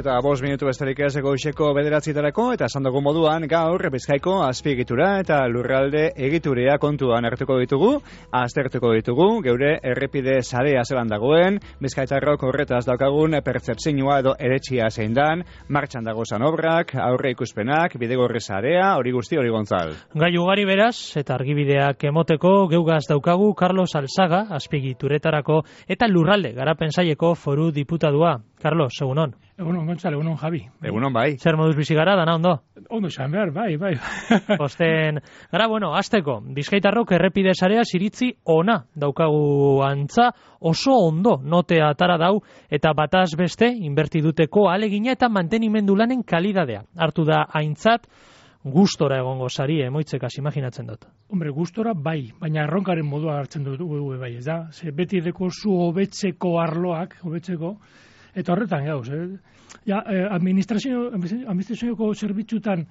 eta 5 minutu besterik ez goizeko 9:00 eta esan dugu moduan gaur Bizkaiko azpiegitura eta lurralde egiturea kontuan hartuko ditugu, aztertuko ditugu, geure errepide sarea zelan dagoen, bizkaitarrok horretaz daukagun pertzepzioa edo eretxia zein dan, martxan dagozan obrak, aurre ikuspenak, bidegorri sarea, hori guzti hori Gontzal. Gai ugari beraz, eta argibideak emoteko geugaz daukagu Carlos Alzaga, azpiegituretarako eta lurralde garapen saileko foru diputadua. Carlos, egunon. Egunon, Gontzal, egunon, Javi. Egunon, bai. Zer moduz bizi gara, dana ondo? Ondo esan behar, bai. Osten, gara, azteko, Bizkaitarrok errepide sarea iritzi ona daukagu antza, oso ondo notea atara dau, eta bataz beste, inbertiduteko alegina eta mantenimendu lanen kalidadea. Hartu da aintzat, gustora egongo sari, emoitzekaz, imaginatzen dut. Hombre, gustora bai, baina erronkaren modua hartzen dugu bai, ez da? Ze beti deko zu hobetzeko arloak, hobetzeko, eta horretan gauz, administrazioko zerbitzutan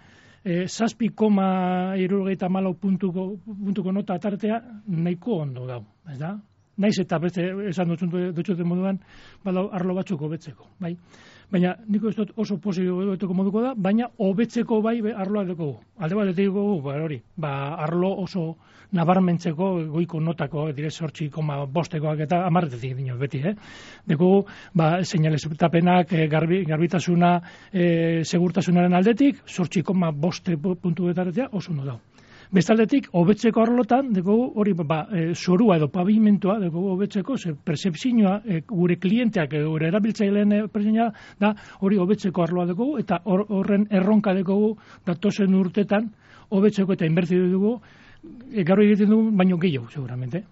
7,74 puntuko nota atartea nahiko ondo dau, ez da? Naiz eta beste esan dutxoten moduan, badau arlo batzuk hobetzeko, bai? Baina niko ez dut oso posibeteko moduko da, baina hobetzeko bai arloa dugu. Alde bat dugu, hori, arlo oso nabarmentzeko goiko notako, dire 8,5koak eta 10 dino beti, Dugu, seinaleztapenak, garbitasuna, segurtasunaren aldetik, 8,5 puntu betaretea oso ondo dau. Bestaldetik, hobetzeko arlotan, dugu hori, zorua edo pavimentoa, dugu hobetzeko, percepzioa, gure klienteak, gure erabiltzaileen percepzioa, da hori hobetzeko arloa dugu, eta horren erronka dugu, datozen urtetan, hobetzeko eta inbertidu dugu, gaur egiten dugu, baino gehiago, seguramente.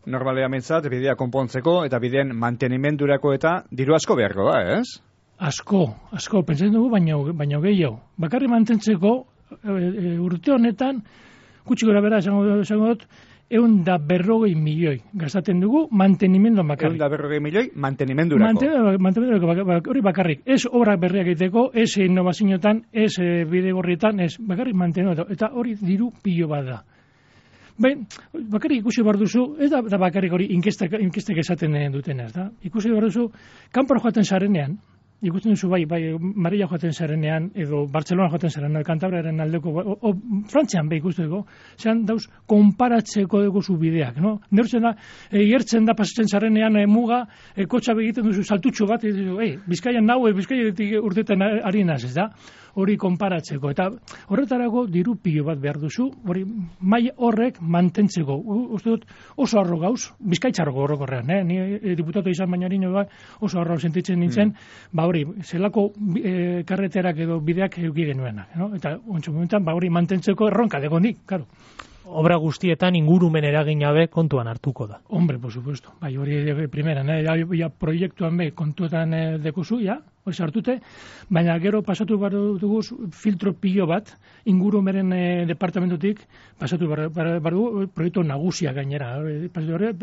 Normalea mentzat, bidea konpontzeko, eta bideen mantenimendurako eta diru asko beharko da, ez? Asko, pentsatzen dugu, baino gehiago. Bakarri mantentzeko, urte honetan, gutxi gora bera, esango dut, 140 milioi gastaten dugu mantenimenduan bakarrik. 140 milioi mantenimendurako. Hori bakarrik. Ez obrak berriak egiteko, ez innovazioetan, ez bidegorrietan, ez bakarrik mantenimendu. Eta hori diru pilo bat da. Bakarrik ikusi behar duzu, ez da bakarrik hori inkestek esaten dutenaz, da? Ikusi behar duzu, kanpora joaten zarenean, ikusten duzu bai, Marilla joaten zarenean, edo Barcelona joaten zarenean, Kantabriaren aldeko, Frantzian ikusten dugu, zean dauz, konparatzeko dugu zu bideak, no? Neurtzen da, gertzen da pasatzen zarenean muga, kotxa begiten duzu saltutxo bat, Bizkaian Bizkaiatik urtetan ari naz, ez da? Hori konparatzeko, eta horretarako diru pilo bat behar duzu, hori mai horrek mantentzeko, uste dut oso arro gauz, bizkaitzarroko horrokorrean, ni diputatu izan baina oso arro sentitzen nintzen, hori, zelako karreterak edo bideak eduki genuenak, no? Eta ontsu momentan, hori mantentzeko erronka degonik, karo. Obra guztietan ingurumen eraginabe kontuan hartuko da. Hombre, por supuesto. Hori primeran, proiektuan kontuetan dekuzu, hori sartute, baina gero pasatu behar dugu filtro pilo bat, ingurumenen departamentutik, pasatu behar dugu proiektu nagusia gainera.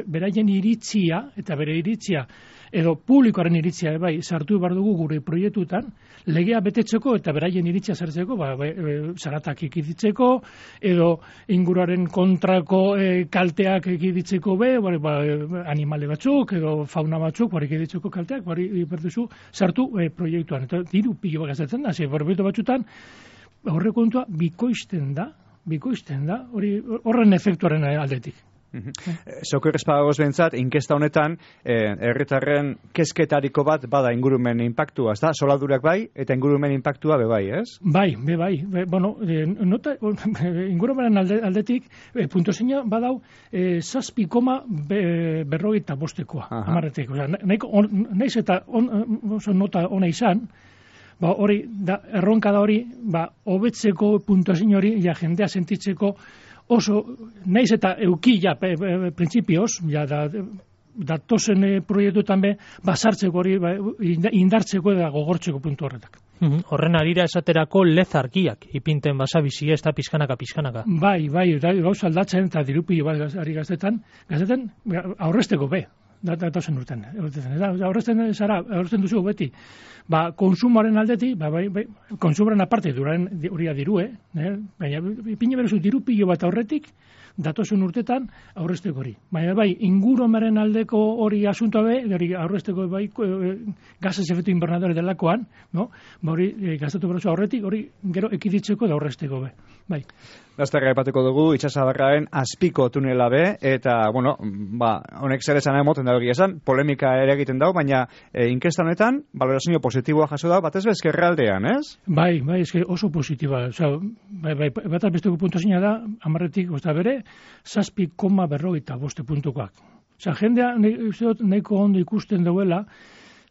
Beraien iritzia, eta bere iritzia, edo publikoaren iritzia, sartu behar dugu gure proiektutan, legea betetzeko eta beraien iritzia sartzeko, zaratak ekiditzeko, edo inguruaren kontrako kalteak ekiditzeko animale batzuk, edo fauna batzuk, ekiditzeko kalteak, berduzu, sartu proiektuan. Eta diru pilo gastatzen da, proiektu batzutan, horre kontua bikoizten da, horren efektuaren aldetik. Zoko errezpadagoz behintzat, inkesta honetan, herritarren kezketariko bat bada ingurumen impactua, ez da? Soladurak bai, eta ingurumen impactua bai, ez? Bai. Ingurumenen aldetik, puntuazioa badau, 7,45 amarretik. Naiz eta oso nota ona izan, hori, erronka da hori, hobetzeko puntuazio hori, jendea sentitzeko, oso, naiz eta euki, printzipioz, datozen proiektuetan basartzeko hori, indartzeko eta gogortzeko puntu horretak. Horren arira esaterako lezarkiak, ipinten basabizi ez da pizkanaka. Bai, gauza aldatzen eta dirupio bat ari gaztetan aurrezteko datozen urten. Aurrezten duzu beti. Konsumoaren aldetik, konsumoaren aparte, hori dirue, baina ipine berezu dirupio bat aurretik, datozen urtetan aurrezteko hori. Baina bai, ingurumaren aldeko hori asuntoa hori aurrezteko bai gases efecto invernadore delakoan, no? Ba hori gastatu prozesu aurretik hori gero ekiditzeko da aurrezteko be. Bai. Lasterra aipatuko dugu itsasadarraren azpiko tunela be eta bueno, ba honek zer esan emoten da hori esan, polemika ere egiten dago, baina inkesta honetan valorazio positiboa jaso da batez ezkerraldean, ez? Bai, eske oso positiboa. Osea, bai bat besteko puntuazioa da 10tik, osea bere 7,45 puntukoak. Osea, jendea nahiko ondo ikusten duela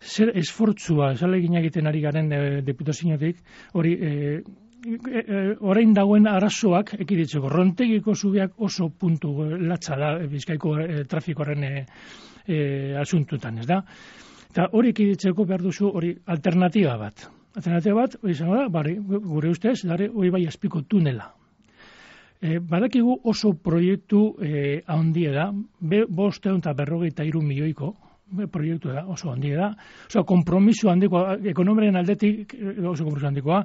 zer esfortzua esalegin egiten ari garen diputaziotik, hori orain dagoen arazoak ekiditzeko. Rontegiko zubiak oso puntu latza da Bizkaiko trafikoaren asuntutan, ez da? Eta hori ekiditzeko behar duzu hori alternatiba bat. Alternatiba bat, hori izango da, gure ustez, hori bai azpiko tunela. Badakigu oso proiektu handia da, 553 milioiko proiektu da, oso handia da. Oso kompromiso handikoa, ekonomiaren aldetik oso kompromiso handikoa,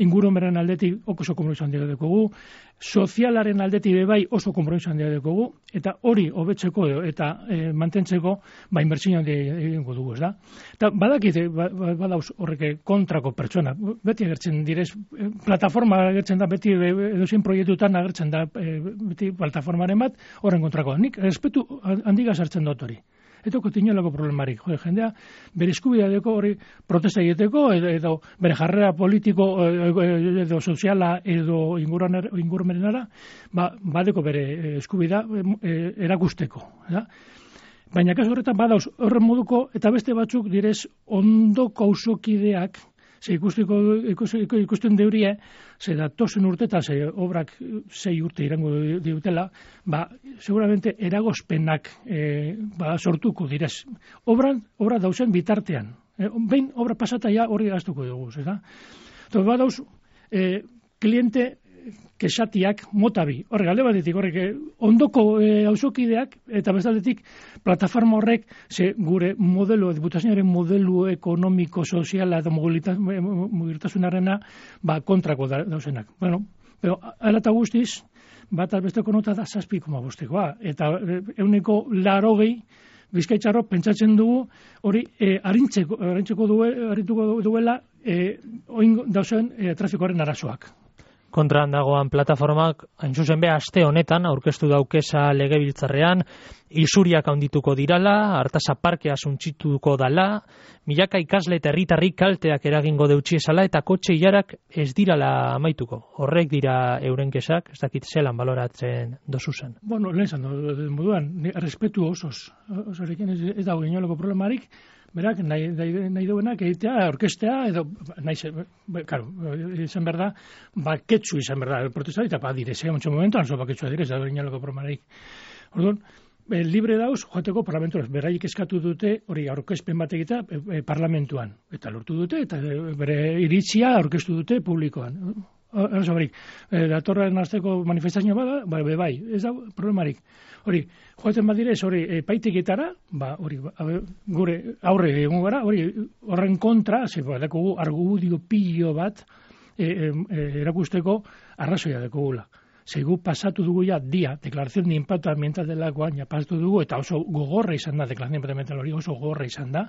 ingurumaren aldetik oso kompromiso handikoa dekogu, sozialaren aldetik bai oso kompromiso handikoa dekogu, eta hori hobetzeko eta mantentzeko inbertsio handia egingo dugu, ez da? Eta badakite, badauz horrek kontrako pertsona, beti agertzen direz, plataforma agertzen da, beti edozein proiektutan agertzen da, beti plataformaren bat, horren kontrakoa. Nik respetu handiga sartzen dut hori. Eta kotinolako problemarik. Jendea, bere eskubidea deko hori protesta egiteko, edo bere jarrera politiko, edo soziala, edo ingurumenara, badeko bere eskubidea erakusteko. Da? Baina kasu horretan badauz horren moduko, eta beste batzuk direz ondoko auzokideak, ze ikusten deurie, ze datozen urteta, ze obrak 6 urte irango diutela, seguramente eragozpenak sortuko direz. Obra dauzen bitartean. Behin obra pasataia hori gaztuko dugu, ez da? Badauz, kliente kesatiak motabi. Horrek, alde batetik, ondoko auzokideak, eta bestaldetik, plataforma horrek, ze gure modelo, diputazioaren modelo ekonomiko, soziala eta mugiltasunarena, kontrako dauzenak. Bueno, pero alata guztiz, bat albesteko nota da 7,5, eta 180 Bizkaitzarro pentsatzen dugu hori arituko duela oin dauzen trafikoaren arazoak. Kontran dagoan plataformak, hain zuzen be, aste honetan, aurkeztu daukesa legebiltzarrean, isuriak handituko dirala, hartasa parkea suntsituko dala, milaka ikasle eta herritarrik kalteak eragingo deutxiesala, eta kotxe ilarak ez dirala amaituko. Horrek dira euren kesak, ez dakit zelan baloratzen dozu zen. Bueno, lehen zan, moduan, respetu osoz. Osorekin ez dago inolako problemarik, berak, nahi duenak egitea, orkestea, edo, karo, izan behar da, baketsu izan behar da, protesta, eta direzea, muntxo momentuan, baketsua direz, da inolako problemarik. Orduan, libre dauz, joateko parlamentuaz, beraik eskatu dute, hori aurkezpen bat egitea parlamentuan, eta lortu dute, eta bere iritzia aurkeztu dute publikoan. Datorren azteko manifestazioa bada, bai, ez da problemarik. Hori, joaten badirez, hori epaiteketara, gure aurre egon gara, horren kontra, dakugu argudio pilo bat erakusteko arrazoia dekugula. Zegu pasatu dugu ja dia, deklarazion de impacto ambiental delakoan, ja pasatu dugu, eta oso gogorra izan da, deklarazion de impacto ambiental hori oso gogorra izan da,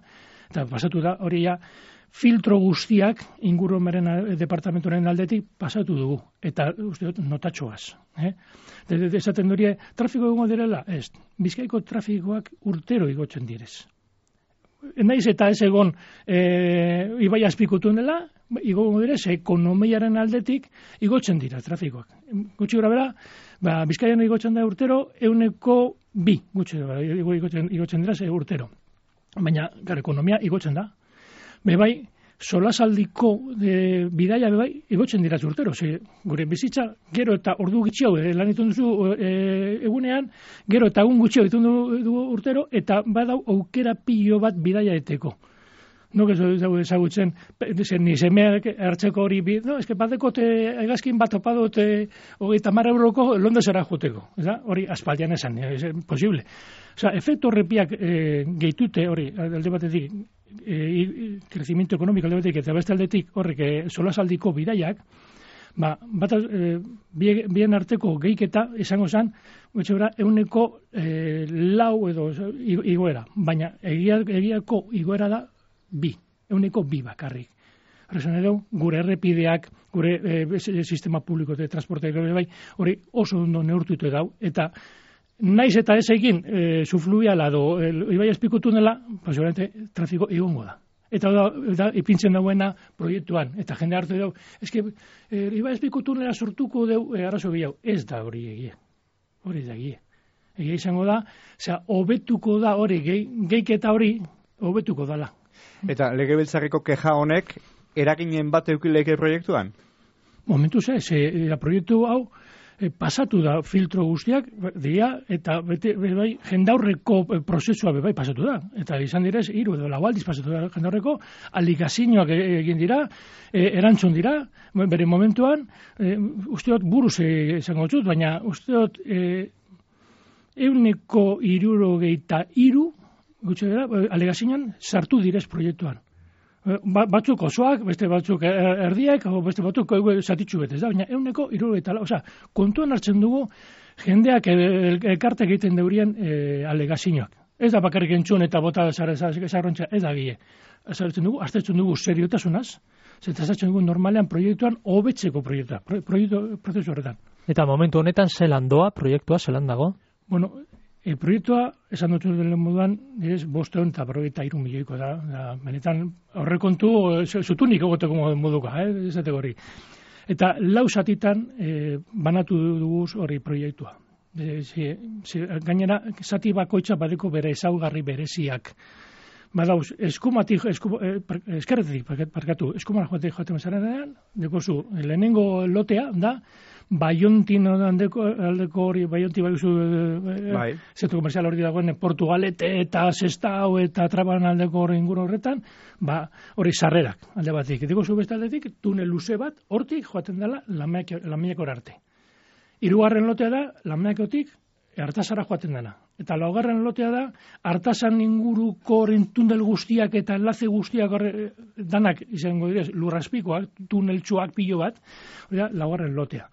eta pasatu da, hori ja, filtro guztiak ingurumaren departamentuaren aldetik pasatu dugu, eta uste dut notatxoaz. Esaten durie, trafiko egongo direla? Ez, Bizkaiko trafikoak urtero igotzen direz. Naiz eta ez egon ibai azpikutun dela, igongo direz, ekonomiaren aldetik igotzen dira trafikoak. Gutxi gora bera, Bizkaian igotzen da urtero, 102 igotzen dira urtero. Baina, ekonomia igotzen da. Bai, solasaldiko bidaia igotzen dira urtero. Gure bizitza, gero eta ordu gutxiago lan ditun duzu egunean, gero eta egun gutxiago ditun dugu urtero, eta badau aukera pilo bat bidaia eteko. No, que ezagutzen, ni semeak hartzeko hori, no, eske badekote egazkin bat opadote 30 euroko Londresera joteko. Hori aspaldian esan, es posible. Osea, efektu horrepiak gehitute hori, alde batetik, crecimiento económico alde batetik, eta beste aldetik horrek solasaldiko bidaiak, bien arteko gehiketa izango zen, gutxebera, 4% edo igoera, baina egiako igoera da 2% bakarrik. Horrezan edo, gure errepideak, gure sistema publiko de transporte bai, hori oso ondo neurtutu dau, eta naiz eta ez egin subfluviala edo ibai azpiko tunela, seguramente trafiko egongo da. Eta da ipintzen dauena proiektuan, eta jende hartu dau, eske ibai azpiko tunela sortuko deu arrazo gehiago, ez da hori egia. Hori da egia. Egia izango da, hobetuko da hori, gehiketa hori, hobetuko dala. Eta legebiltzarreko keja honek, eraginen bat eukileke proiektuan? Momentuz ez, proiektu hau pasatu da filtro guztiak, dia, eta bai, jendaurreko prozesua bai pasatu da. Eta izan direz, 3 edo 4 aldiz pasatu da jendaurreko, aligazioak egin dira, erantzun dira, bere momentuan, usteot buruz izango dut, baina usteot 163, gutxe dira, aligazioan sartu direz proiektuan. Batzuk osoak, beste batzuk erdiak, beste batzuk zatitxu betez da, baina 163, osea, kontuan hartzen dugu jendeak elkartek egiten deurien alegazioak. Ez da bakarrik entzun eta bota zarrontza, ez da gile. Aztertzen dugu seriotasunaz, zetazatzen dugu normalean proiektuan hobetzeko proiektu horretan. Eta momentu honetan zelan doa, proiektua zelan dago? Bueno, proiektua, esan dut den moduan, 553 milioiko da. Benetan, horrekontu, zutunik egoteko moduka, esateko hori. Eta 4 zatitan banatu dugu hori proiektua. Gainera, zati bakoitza badeko bere ezaugarri bereziak. Badauz, eskerretik, eskumara joaten zarenean, dekozu, lehenengo lotea da, Baiontin aldeko hori, Baionti baiuzu zentro komerzial hori dagoen Portugalete eta Sestao eta Traban aldeko hori inguru horretan, hori sarrerak alde batik. Diko zu beste aldetik, tunel luze bat, hortik joaten dela Lamaiakor arte. 3. lotea da, Lamaiakotik Artasara joaten dena. Eta 4. lotea da, Artasan inguruko horren tunel guztiak eta enlaze guztiak danak izango direz, lurraspikoak, tuneltsuak pilo bat, hori da, 4. lotea.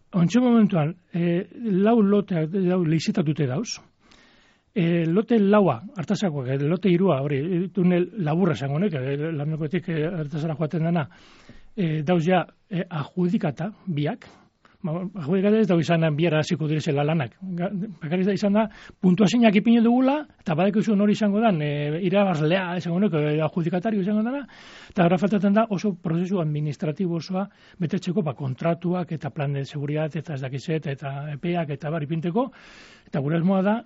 Ontxe momentuan, 4 loteak leizitatute dauz. Lote 4, Artasakoak, lote 3, hori, tunel laburra esango nek, Lamaiakotik Artasara joaten dena, dauz ja adjudikata, biak. Adjudikata ez dago izan biara hasiko direzela lanak. Bakarrik da izan da, puntuazioak ipini dugula, eta badeko izan hori izango dan, irabazlea izango nek, adjudikatario izango dana, eta gara faltatzen da oso prozesu administratibo osoa betetzeko kontratuak eta plan de seguridad eta ez dakizet eta epeak eta bar ipinteko, eta gure asmoa da,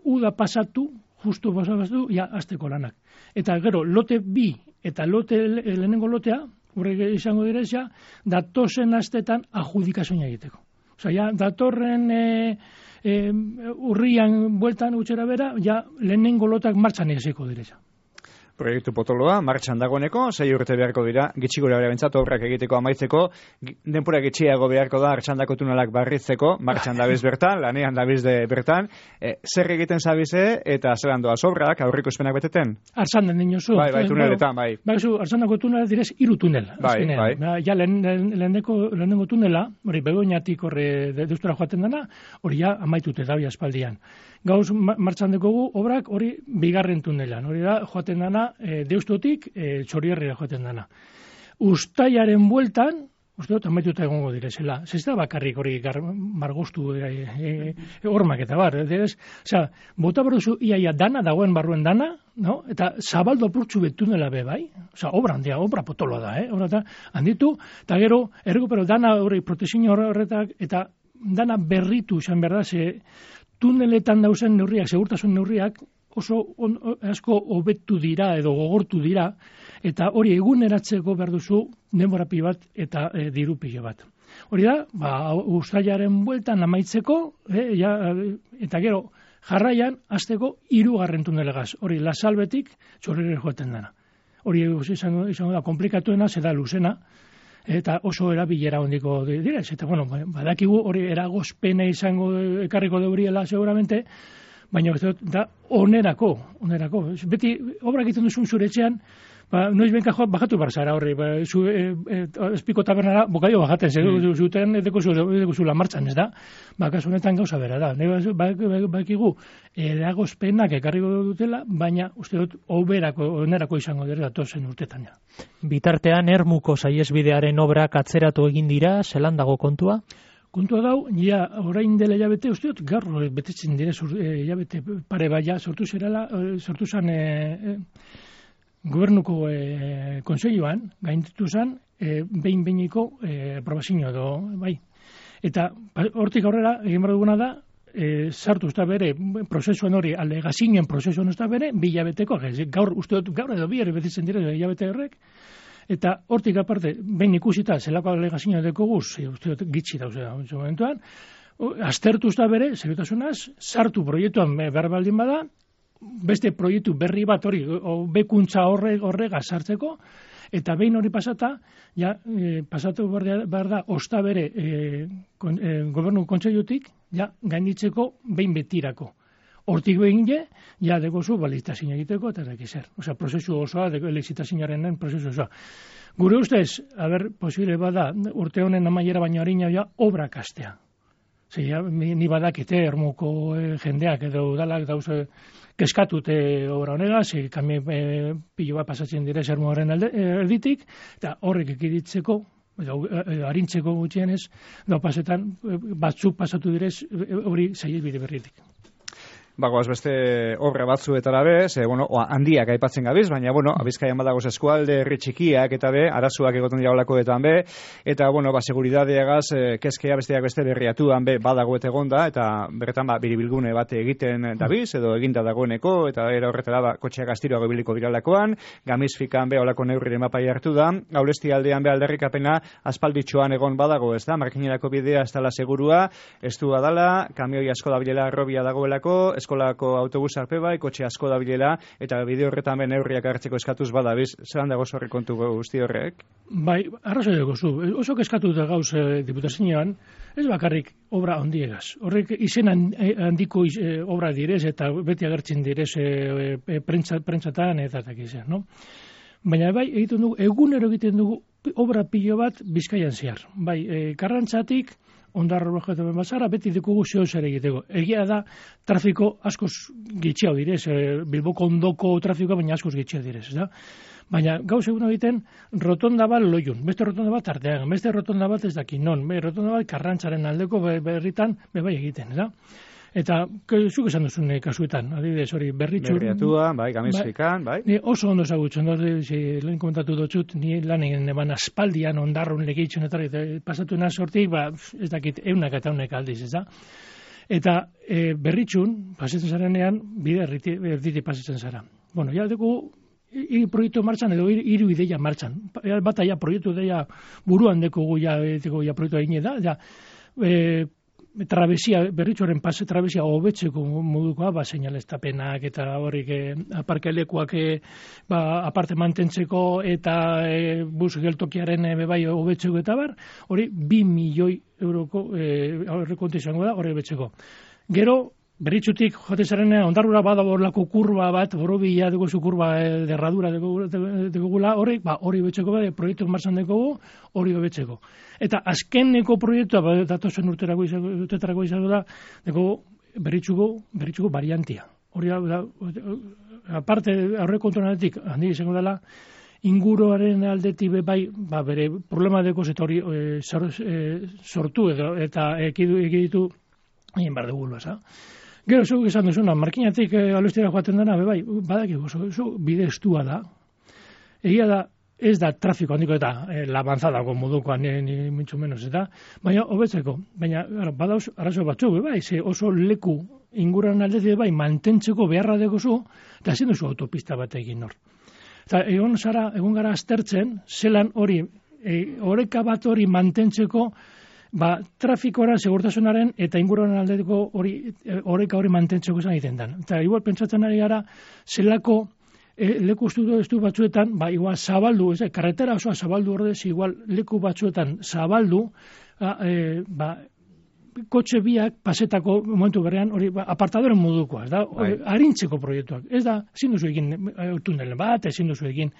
uda pasatu, justu pasatu, ja, azteko lanak. Eta gero, lote 2 eta lehenengo lotea, horrek izango direzia, datozen astetan adjudikazioa egiteko. Osea, ja, datorren urrian bueltan utxera bera, ja, lehenengo lotak martxan egizeko direzia. Proiektu potoloa, martxan dagoeneko, 6 urte beharko dira, gitxi gure bentsat obrak egiteko amaitzeko, denpura gitxiago beharko da, artxandako tunelak barritzeko, martxan dabiz bertan, lanean dabiz bertan, zer egiten zabize eta zelan doaz obrak, aurriko espenak beteten? Artxandan dinozu. Bai, tuneletan, bai. Artxandako tunela direz 3 tunel. Bai. Ja, lehenengo tunela, hori begoinatik horre deustura joaten dena, hori ja amaitute dabi aspaldian. Gauz martxan dekogu obrak hori 2. tunelan, hori da joaten dana deustotik Txorierrira joaten dana. Uztailaren bueltan, uste dut amaituta egongo direzela. Ez da bakarrik hori margostu hormak eta bar. Osea, bota berduzu iaia dana, dagoen barruen dana, no? Eta zabaldo apurtxu betunela be bai. Osea, obra handia, obra potoloa da, obra handitu, eta gero, errekupero dana hori protezio horretak, eta dana berritu izan behar da, tuneletan dauzen neurriak, segurtasun neurriak, oso asko hobetu dira edo gogortu dira, eta hori eguneratzeko behar duzu denborapi bat eta dirupile bat. Hori da, uztailaren bueltan amaitzeko, eta gero jarraian hasteko 3. tunelegaz. Hori Lasalbetik Txorierrira joaten dena. Hori izango da komplikatuena, zeda luzena, eta oso erabilera hondiko direz. Eta, badakigu hori eragozpena izango ekarriko deuriela seguramente, baina da onerako. Beti obrak egiten duzun zure etxean, noiz benka bajatu barzara horri, zu espiko tabernara bokadio bajaten, zuten edekuzula martxan, ez da? Kasu honetan gauza bera da. Bakigu, eragozpenak ekarriko dutela, baina uste dut onerako izango dira datozen urtetan. Ja. Bitartean, Ermuko saihesbidearen obrak atzeratu egin dira, zelan dago kontua? Kontua dau, ja, orain dela hilabete, uste dut, gaur betetzen dire hilabete pare baia sortu zen gobernuko kontseiluan, gainditu zen, behin-behiniko aprobazio edo, bai. Eta hortik aurrera, egin behar duguna da, sartu usta bere, prozesuan hori, alegazioen prozesuan usta bere, bi hilabeteko, gaur, uste dut, gaur edo bi betetzen dire hilabete horrek, eta hortik aparte, behin ikusita, zelako alegazioa dekogu, uste dut, gitsi dauzea, momentuan, aztertu usta bere, seriotasunaz, sartu proiektuan behar baldin bada, beste proiektu berri bat hori, bekuntza horrega sartzeko, eta behin hori pasata, ja, pasatu behar da, osta bere gobernu kontseilutik, ja, gainditzeko behin betirako. Hortik behin ja, dekozu baliztazioa egiteko, eta zer. Osea, prozesu osoa, lizitazioaren prozesu osoa. Gure ustez, posible bada, urte honen amaiera baino harina, ja, obrak astea. Zer, ni badakite, Ermuko jendeak edo udalak dauze, keskatute obra honega, kami pilo bat pasatzen dire Ermuaren erditik, eta horrek ekiditzeko, harintzeko gutxienez, pasetan, batzuk pasatu direz, hori saihesbide berritik. Bagoaz beste obra batzuetara be, handiak aipatzen gabiz, baina, Bizkaian badagoz eskualde, herri txikiak eta be, arazoak egoten dira olakoetan be, eta, seguridadeagaz, kezkea besteak beste berriatuan be, badagoet egonda, eta berretan, biribilgune bat egiten dabiz, edo eginda dagoeneko, eta era horretara, kotxeak astiroago biliko biralakoan, gamizfikan be, olako neurriren mapai hartu da, gaulesti aldean be alderrikapena, aspalditxoan egon badago, ez da, markinerako bidea ez dala segurua, ez du adala, kamioi asko dabilela arrobia dagoelako, eskolako autobus arpe bai, kotxe asko dabilela, eta bide horretan ben neurriak hartzeko eskatuz badabiz, zelan dago zorri kontu guzti horrek? Bai, arrazoi dago zu. Oso eskatu da gauz diputazioan, ez bakarrik obra handiegaz. Horrek izen handiko obra direz, eta beti agertzen direz prentsatan eta takizen, no? Baina bai, egiten dugu, egunero egiten dugu obra pilo bat Bizkaian zehar. Bai, Karrantzatik, Ondarro bajatu bazara, beti dekugu zer egiteko. Egia da, trafiko askoz gitxiau direz, Bilboko ondoko trafikoa, baina askoz gitxiau direz, da? Baina gauz egun egiten, rotonda bat loiun, beste rotonda bat artean, beste rotonda bat ez dakin non, rotonda bat Karrantzaren aldeko berritan, bai egiten, da? Eta, zuk esan duzun kasuetan, adibidez, hori berritxur... Berriatua, bai, gamizfikan, bai. Oso ondo ezagutzen, lehen komentatu dutxut, ni lan egin eban aspaldian ondarrun legitzen, eta pasatu naz hortik, ez dakit, eunak eta eunak aldiz, ez da? Eta berritxun, pasatzen zarenean, bide erditi pasatzen zara. Bueno, ja dugu, hiru proiektu martxan, edo hiru ideia martxan. Bata ja proiektu ideia buruan dekogu ja proiektu egine da, ja, trabesia, berritxoren pase trabesia hobetzeko modukoa, seinaleztapenak eta horrik aparkelekuak aparte mantentzeko eta bus geltokiaren bai hobetzeko eta bar, hori 2 milioi euroko aurrekontu izango da, hori hobetzeko. Gero, berritxutik jote zarenean, ondarrura badago horlako kurba bat, borobila dugu zu kurba derradura dugula, hori hobetzeko bat, proiektu martxan dugu, hori hobetzeko. Eta azkeneko proiektua, datozen urtetarako izango da, berritxuko variantia. Hori da, aparte aurrekontu nadetik, handi izango dela, inguruaren aldetik bai, bere problema dekoz eta hori sortu eta ekiditu egin behar dugu, Gero, zuk esan duzuna, markinatik alustera joaten dena, bai, badakigu, oso bide estua da. Egia da, ez da trafiko handiko eta labanzadako modukoan, ni mucho menos, eta, baina hobetzeko. Baina, badauz, arazo batzuk, bai, oso leku inguruan aldetik, bai, mantentzeko beharra dekozu, eta ezin duzu autopista bat egin hor. Eta egon gara aztertzen, zelan hori, oreka bat hori mantentzeko, trafikora, segurtasunaren eta inguruan aldetiko oreka hori mantentzeko izan egiten den. Eta igual pentsatzen ari gara, zelako leku estu batzuetan, igual zabaldu, karretera osoa zabaldu ordez, igual leku batzuetan zabaldu, kotxe biak pasetako momentu berrean, hori apartadoren modukoa, da, arintzeko proiektuak. Ez da, ezin duzu egin tunel bat, ezin duzu egin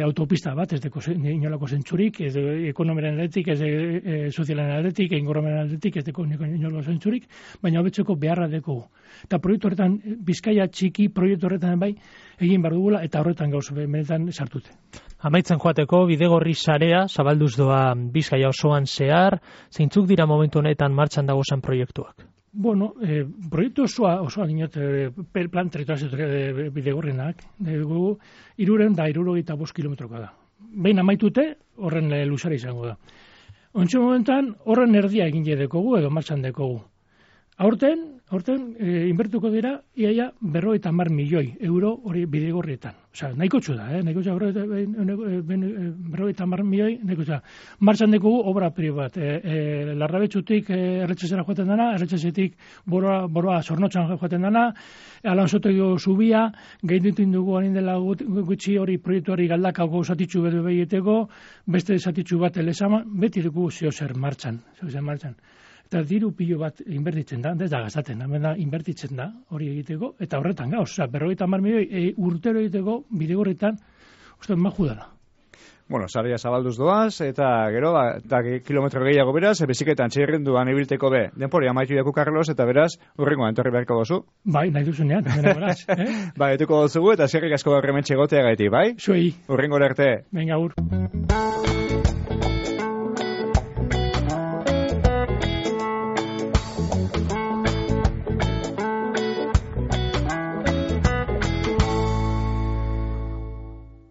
autopista bat, ez deko inolako zentzurik, ez de ekonomiaren aldetik, ez de sozialen aldetik, ingurumenen aldetik, ez deko inolako zentzurik, baina hobetzeko beharra deko. Eta proiektu horretan, Bizkaia txiki proiektu horretan bai, egin behar dugula, eta horretan gauz benetan sartute. Amaitzen joateko, bidegorri sarea, zabalduz doa Bizkaia osoan zehar, zeintzuk dira momentu honetan martxan dagozan proiektuak? Bueno, proiektu osoa dinot, plan territorial bidegorrenak, 375 kilometrokoa da. Behin amaitute, horren luzara izango da. Ontxe momentan, horren erdia egin dekogu edo martxan dekogu. Aurten inbertuko dira, iaia 50 milioi euro hori bidegorrietan. Osea, nahiko txu da, nahiko txu 50 milioi, nahiko txu da. Martxan dekugu obra pribat. Larrabetxutik erretxezera joaten dana, erretxezetik boroa zornotxan joaten dana, Alanzotego zubia, gehidutin dugu hanin dela gutxi hori proiektuari galdakako zatitxu bedu behieteko, beste zatitxu bat elezama, beti dugu ziozer martxan. Eta diru pilo bat inbertitzen da, ez da gazaten, inbertitzen da hori egiteko, eta horretan gauz, 50 milioi urtero egiteko bidegorretan, uste, maju dela. Bueno, sarea zabalduz doaz, eta gero, kilometro gehiago beraz, biziketan txirrinduan ibilteko be, denpori amaitu jaku Carlos, eta beraz, urrengoan entorri beharko gozu. Bai, nahi duzunean, beraz. Bai, etuko gozugu, eta zerrik asko horremen txegotea gaiti, bai? Zuei. Urrengora arte. Venga,